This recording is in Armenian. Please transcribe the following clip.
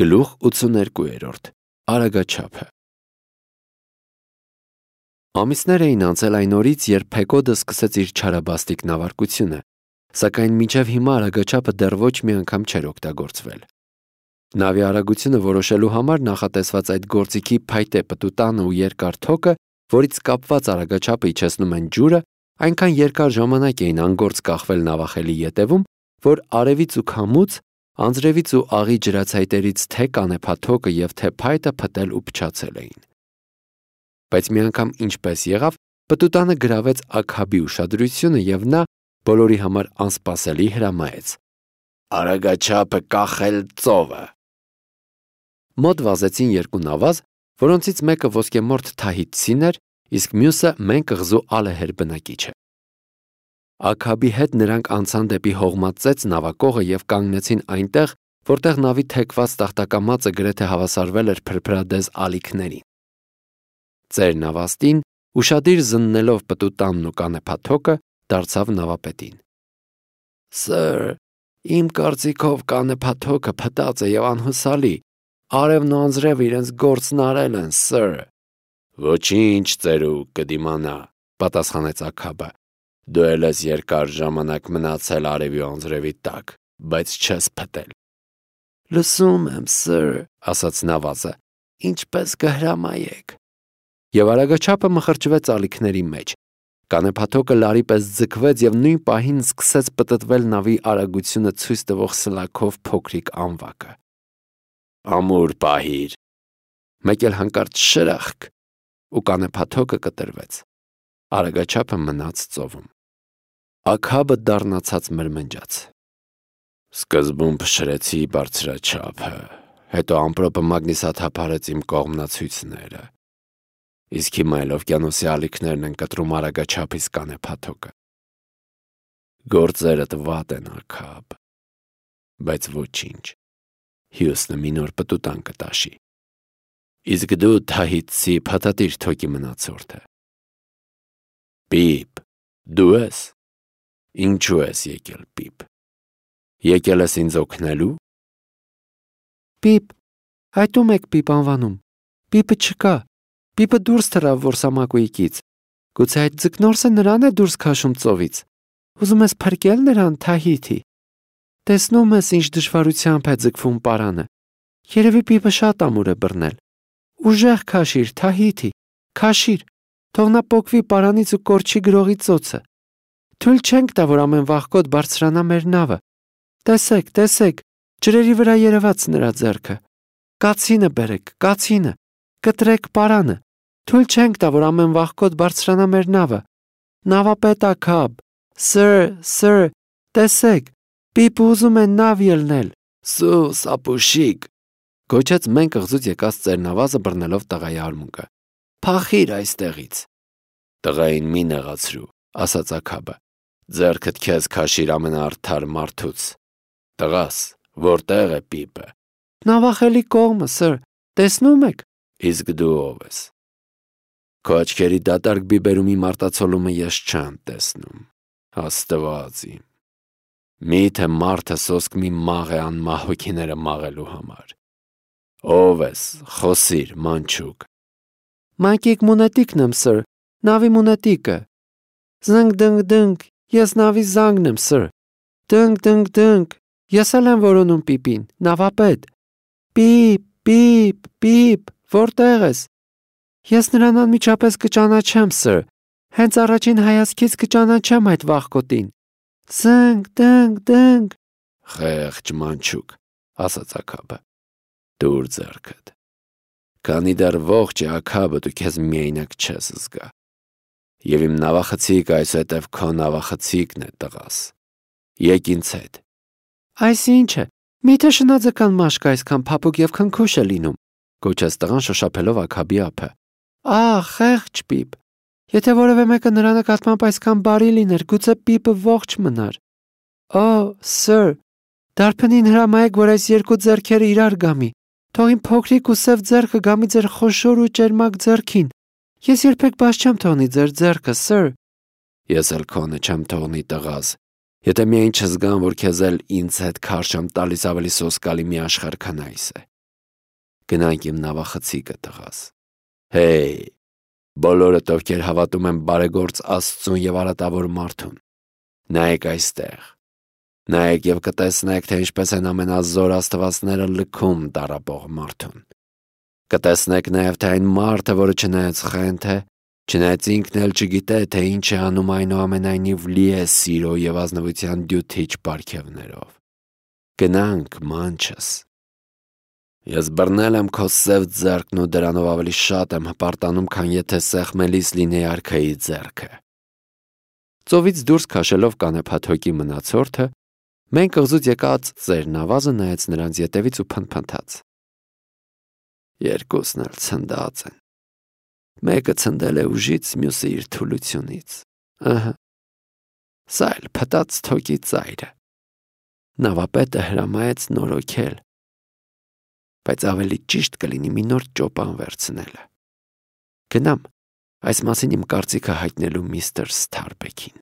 Գլուխ 82 Արագաչափը Ամիսներ էին անցել այն օրից, երբ Փեկոդը սկսեց իր չարաբաստիկ նավարկությունը, սակայն մինչև հիմա արագաչափը դեռ ոչ մի անգամ չէր օգտագործվել։ Նավի արագությունը որոշելու համար նախատեսված այդ գործիքի փայտե պտուտանը ու երկար թոկը, որից կապված արագաչափը իջեցնում են ջուրը, այնքան երկար ժամանակ էին անգործ կախվել նավախելի ետևում, որ արևից ու քամուց, անձրևից ու աղի ջրացայտերից թե կանեփաթոկը և թե փայտը փտել ու փչացել էին։ Բայց մի անգամ ինչպես եղավ, պտուտանը գրավեց Աքաբի ուշադրությունը և նա բոլորի համար անսպասելի հրամայեց. «Արագաչափը կախել ծովը»։ Մոտ վազեցին երկու նավազ, որոնցից մեկը ոսկեմորթ թահիտցին էր, իսկ մյուսը մենկղզու ալեհեր բնակիչը։ Աքաբի հետ նրանք անցան դեպի հողմած ծեց նավակողը և կանգնեցին այնտեղ, որտեղ նավի թեքված տախտակամածը գրեթե հավասարվել էր փրփրադեզ ալիքներին։ Ծեր նավաստին, ուշադիր զննելով պտուտանն ու կանեփաթոկը, դարձավ նավապետին. «Սըր, իմ կարծիքով կանեփաթոկը փտած է և անհուսալի, արևն ու անձրևը իրենց գործն արել են, սըր»։ «Ոչինչ, ծերուկ, կդիմանա», պատասխանեց Աքաբը։ «Դու էլ ես երկար ժամանակ մնացել արևի ու անձրևի տակ, բայց չես փտել»։ «Լսում եմ, սըր», ասաց նավազը, «ինչպես կհրամայեք»։ Եվ արագաչափը մխրճվեց ալիքների մեջ։ Կանեփաթոկը լարի պես ձգվեց և նույն պահին սկսեց պտտվել նավի արագությունը ցույց տվող սլաքով փոքրիկ անվակը։ «Ամուր պահիր»։ Մեկ էլ հանկարծ շրախկ, ու կանեփաթոկը կտրվեց։ Արագաչափը մնաց ծովում։ Աքաբը դառնացած մրմնջաց. «Սկզբում փշրեցի բարձրաչափը, հետո ամպրոպը մագնիսաթափարեց իմ կողմնացույցները, իսկ հիմա էլ օվկիանոսի ալիքներն են կտրում արագաչափիս կանեփաթոկը։ Գործերդ վատ են, Աքաբ, բայց ոչինչ, Հյուստը մի նոր պտուտան կտաշի, իսկ դու թահիտցի փաթաթիր թոկի մնացորդը։ Պիպ, դու ես։ Ինչու ես եկել, Պիպ։ Եկել ես ինձ օգնելու։ Պիպ, այդ ում եք Պիպ անվանում։ Պիպը չկա։ Պիպը դուրս թռավ որսամակույկից։ Գուցե այդ ձկնորսը նրան է դուրս քաշում ծովից։ Ուզում ես փրկել նրան, Թահիթի։ Տեսնում ես, ինչ դժվարությամբ է ձգվում պարանը։ Երևի Պիպը շատ ամուր է բռնել։ Ուժեղ քաշիր, Թահիթի, քաշիր, թող նա պոկվի պարանից ու կորչի գրողի ծոցը։ Թույլ չենք տա, որ ամեն վաղկոտ բարձրանա մեր նավը։ Տեսեք, տեսեք, ջրերի վրա երևաց նրա ձեռքը։ Կացինը բերեք, կացինը, կտրեք պարանը։ Թույլ չենք տա, որ ամեն վաղկոտ բարձրանա մեր նավը։ Նավապետ Աքաբ, սըր, տեսեք, Պիպը ուզում է նավ ելնել։ Սուս, ապուշիկ, գոչեց մենկղզուց եկած ծերնավազը բռնելով տղայի արմունկը։ Փախիր այստեղից։ Տղային մի նեղացրու, ասաց Աքաբը։ Ձեռքդ քեզ քաշիր ամենաարդար մարդուց։ Տղաս, որտեղ է Պիպը։ Նավախելի կողմը, սըր, տեսնում եք։ Իսկ դու ով ես։ Քո աչքերի դատարկ բիբերումի մարտացոլումը ես չեմ տեսնում։ Աստված իմ։ Միթե մարդը սոսկ մի մաղ է անմահ հոգիները մաղելու համար։ Ով ես, խոսիր, մանչուկ։ Մանկիկ մունետիկն եմ, սըր, նավի մունետիկը։ Զնգ դնգ դնգ, ես նավի զանգն եմ, սըր։ Դնգ դնգ դնգ, ես էլ եմ որոնում Պիպին, նավապետ։ Պիպ, որտեղ ես։ Ես նրան անմիջապես կճանաչեմ, սըր, հենց առաջին հայացքից կճանաչեմ այդ վաղկոտին։ Զնգ դնգ դնգ։ Խեղճ մանչուկ, ասաց Աքաբը։ Դուր ձեռքդ։ Քանի դեռ ողջ է Աքաբը, դու քեզ միայնակ չես զգա։ Եվ իմ նավախցիկը այսուհետև քո նավախցիկն է, տղաս։ Եկ ինձ հետ։ Այսինչ է, միթե շնաձկան մաշկը այսքան փափուկ և քնքուշ է լինում, գոչեց տղան շոշափելով Աքաբի ափը։ Խեղճ Պիպ, եթե որևէ մեկը նրա նկատմամբ այսքան բարի լիներ, գուցե Պիպը ողջ մնար։ Սըր, դարբնին հրամայեք, որ այս երկու ձեռքերը իրար գամի։ Թող իմ փոքրիկ ու սև ձեռքը գամի ձեր խոշոր ու ճերմակ ձեռքին։ Ես երբեք բաց չեմ թողնի ձեր ձեռքը, սըր։ Ես էլ քոնը չեմ թողնի, տղաս, եթե միայն չզգամ, որ քեզ էլ ինձ հետ քարշ եմ տալիս ավելի սոսկալի մի աշխարհ քան այս է։ Գնանք իմ նավախցիկը տղաս։ Հեյ, բոլորդ ովքեր հավատում են բարեգործ Աստծուն եւ արատավոր մարդուն, նայեք այստեղ։ Նայեք եւ կտեսնեք, թե ինչպես են ամենազոր աստվածները լքում տառապող մարդուն։ Կտեսնեք նաեւ, թե այն մարդը, որը չնայած խենթ է, չնայած ինքն էլ չգիտե, թե ինչ է անում, այնուամենայնիվ լի է սիրո եւ ազնվության դյութիչ պարգևներով։ Գնանք, մանչս։ Ես բռնել եմ քո սև ձեռքն ու դրանով ավելի շատ եմ հպարտանում, քան եթե սեղմելիս լինեի արքայի ձեռքը։ Ծովից դուրս քաշելով կանեփաթոկի մնացորդը, մենք կղզուց եկած ծեր նավազը նայեց նրանց ետևից ու փնթփնթաց։ Երկուսն էլ ցնդած են։ Մեկը ցնդել է ուժից, մյուսը իր թուլությունից։ Ահա։ Սա էլ փտած թոկի ծայրը։ Նավապետը հրամայեց նորոգել, բայց ավելի ճիշտ կլինի մի նոր ճոպան վերցնելը։ Գնամ այս մասին իմ կարծիքը հայտնելու միստր Սթարբեքին։